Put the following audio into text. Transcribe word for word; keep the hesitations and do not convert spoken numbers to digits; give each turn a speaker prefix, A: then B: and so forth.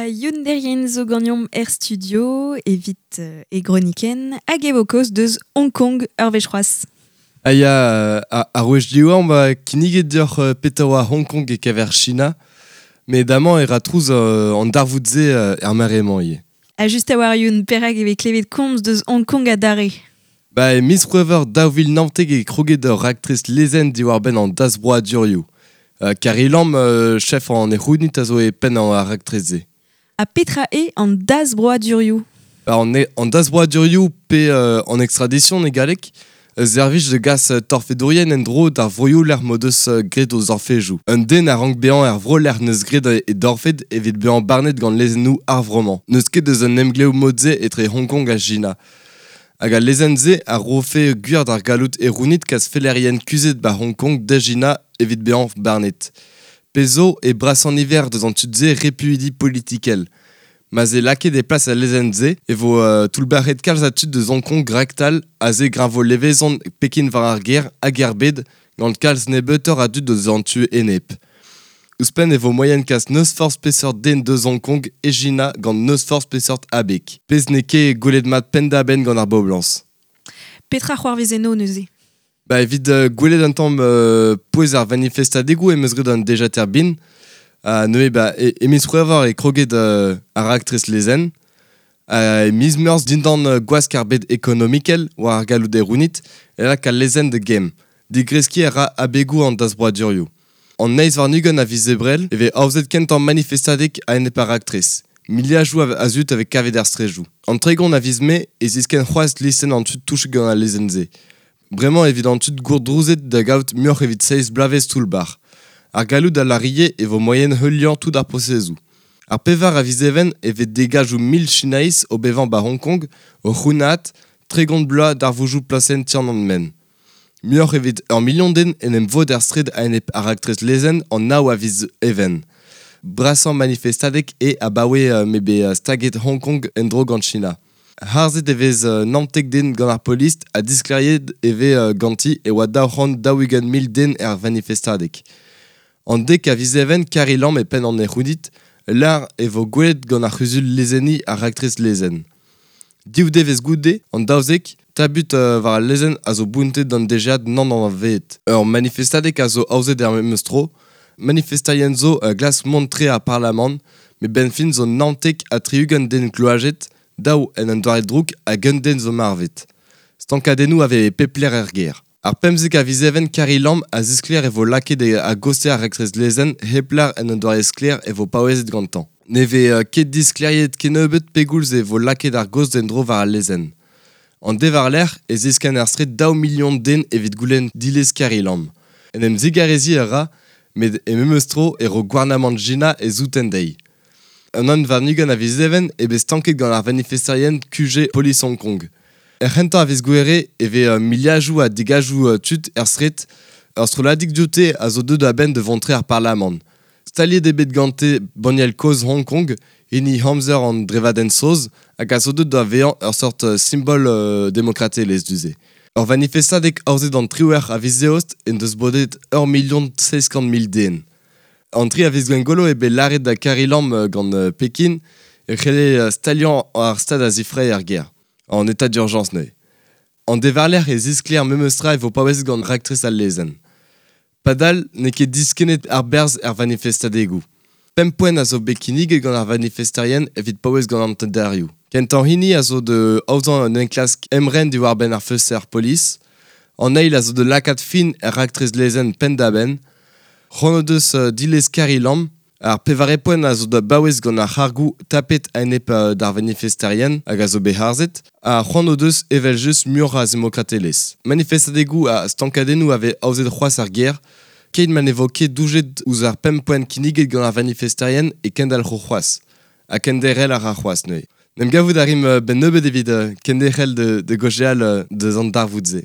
A: A Youn Derien zo ganeomp er studio, evit euh, e groniken, hag e vo kaoz deus Hong Kong ur wech c'hoazh.
B: A ya, ar wech diwar ba kinniget deoc'h euh, petra oa Hong Kong e kever China, met amañ e ra trouz euh, an darvoud-se euh, er mare-mañ ivez.
A: A just a war Youn, perak e vez klevet komz deus Hong Kong adarre.
B: Ba e miz C'hwevrer daou vil naontek e kroget ur raktres lezenn diwar-benn an dasbroadurioù. Euh, Carrie Lam, euh, chef an ec'hounit a zo e penn an ar raktres-se.
A: Ha petra eo an dasbroadurioù?
B: Ba an, e, an dasbroadurioù pe euh, an extradition e galleg, servij de gas torfedourien en-dro d'ar vroioù lec'h m'o deus graet o zorfejoù. Un den a rank bezañ er vro lec'h neus graet e dorfed evit bezañ barnet gant lezennoù ar vro-mañ. N'eus ket eus un emglev mod-se etre Hong Kong ha China. Hag al lezenn-se a rofe gwir d'ar galloud erounit kas fellerien kuzhet ba Hong Kong da China evit bezañ barnet. Pezh zo e brasañ niver deus an tud-se repuidi politikel. Ma 'z eo lakaet e plas al lezenn-se e vo euh, toullbac'het kalz a tud deus Hong Kong raktal ha se greñvo levezon Pekin war ar gêr hag er bed gant kalz nebeutoc'h a dud deus an tu enep. Ouzhpenn e vo moaien kas n'eus forzh peseurt den deus Hong Kong e China gant n'eus forzh peseurt abeg. Pezh n'eo ket gwelet mat penn-da-benn gant ar boblañs.
A: Petra c'hoarvez eno neuze?
B: Ba evit euh, gwelet un tamm euh, pouez ar vanifestadegoù em eus graet an dejater bin. Ha neuze ba e, e miz C'hwevrer e kroget euh, ar raktres lezenn. Ha e miz Meurzh dindan euh, gwask ar bed ekonomikel war ar galloud erounit e lak al lezenn da gemm. Digreskiñ a ra abegoù an dasbroadurioù. An eizh warn-ugent a viz Ebrel e vez aozet kentañ manifestadeg a-enep ar raktres. Miliadoù a zud a vez kavet er straedoù. An tregont a viz Mae e ziskenn c'hoazh listenn an tud touchet gant al lezenn-se. Bremañ evit an tud gourdrouzet da gaout muioc'h evit seizh bloavezh toull-bac'h. Ar galloud a lârie e vo moaien heuliañ tout ar prosezoù. Ar pevar a viz Even e vez degajoù mil Chinaiz o bevañ ba Hong Kong o c'hounaat tregont bloaz darvoudoù plasenn Tiananmen. Muioc'h evit ur milion den en em vod er straed a-enep ar raktres lezenn an nav a viz Even. Brasañ manifestadeg eo abaoe euh, m'eo bet staget Hong Kong en-dro gant China. Harzet e vez euh, naontek den gant ar polis ha disklêriet e vez euh, ganti e oa daou c'hant daou-ugent mil den er vanifestadeg. An dek a viz Even Carrie Lam e penn an ec'hounit, lâr e vo gwelet gant ar c'huzul lezenniñ ar raktres lezenn. Div devezh goude, an daouzek, tabut euh, war al lezenn a zo bountet d'an D G A nann anavezet. Ur manifestadeg a zo aozet er memes tro, manifesterien zo uh, glask mont tre ar parlamant, met 'benn fin zo naontek ha tri-ugent den gloazet, daou en un doare drouk hag un den zo marvet. Stankadennoù a vez e pep lec'h er gêr. Ar pemzek a viz Even Carrie Lam a zisklêr e vo lakaet a gostez ar raktres lezenn hep lâr en un doare sklaer e vo paouezet gantañ. Ne vez euh, ket disklêriet kennebeut pegoulz e vo lakaet ar gaoz en-dro war al lezenn. An dewarlerc'h e ziskenn er straed daou milion den evit goulenn dilez Carrie Lam. En em zigareziñ a ra, met e memes tro e ro gouarnamant China e souten dezhi. An unan warn-ugent a viz Even eo bet stanket gant ar vanifesterien Q G polis Hong Kong. Er c'hentañ a viz Gouhere e vez euh, miliadoù ha degajoù euh, tud er straed, ur strolladig dioute a zo deuet a-benn da vont tre ar parlamant. Staliet eo bet gante banniel kozh Hong Kong, hini amzer an drevadenn saoz, hag a zo deuet da vezañ ur seurt euh, simbol euh, demokratelezh du-se. Ur vanifestadeg aozet an triwec'h a viz Eost en deus bodet ur milion seizh kant mil den. An tri a viz Gwengolo eo bet lâret da Carrie Lam gant euh, Pekin e c'helle staliañ ar stad a zifrae er gêr. En état d'urgence neuze. An dewarlerc'h e zisklêr memes tra e vo paouezet gant raktres al lezenn. Padal n'eo ket diskennet ar berzh er vanifestadegoù. Pemp poent a zo bet kinniget gant ar vanifesterien evit paouez gant an tenderioù. Kentañ hini a zo da aozañ un enklask emren diwar-benn ar feulster polis. An eil a zo da lakaat fin er raktres lezenn penn-da-benn. C'hoant o deus euh, dilez Carrie Lam. Ar pevare poent a zo da baouez gant ar c'hargoù tapet a-enep euh, d'ar vanifesterien hag a zo bet harzet, ha c'hoant o deus evel-just muioc'h a zemokratelezh. Manifestadegoù ha stankadennoù a vez aozet c'hoazh er gêr, keit ma ne vo ket doujet ouzh ar pemp poent kinniget gant ar vanifesterien e kendalc'ho c'hoazh. Ha kenderc'hel a ra c'hoazh neuze. 'N em gavout a rimp euh, 'benn nebeut evit euh, kenderc'hel de, de gaozeal euh, deus an darvoud-se.